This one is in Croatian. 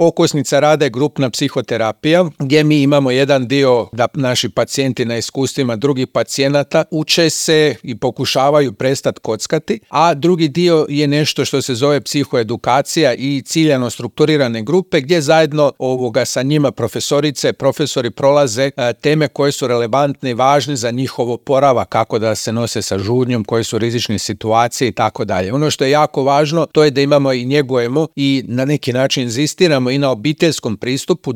Okosnica rada je grupna psihoterapija, gdje mi imamo jedan dio da naši pacijenti na iskustvima drugih pacijenata uče se i pokušavaju prestati kockati, a drugi dio je nešto što se zove psihoedukacija i ciljano strukturirane grupe gdje zajedno sa njima profesori prolaze teme koje su relevantne i važne za njihov oporavak, kako da se nose sa žudnjom, koje su rizične situacije i tako dalje. Ono što je jako važno to je da imamo i njegujemo i na neki način inzistiramo i na obiteljskom pristupu,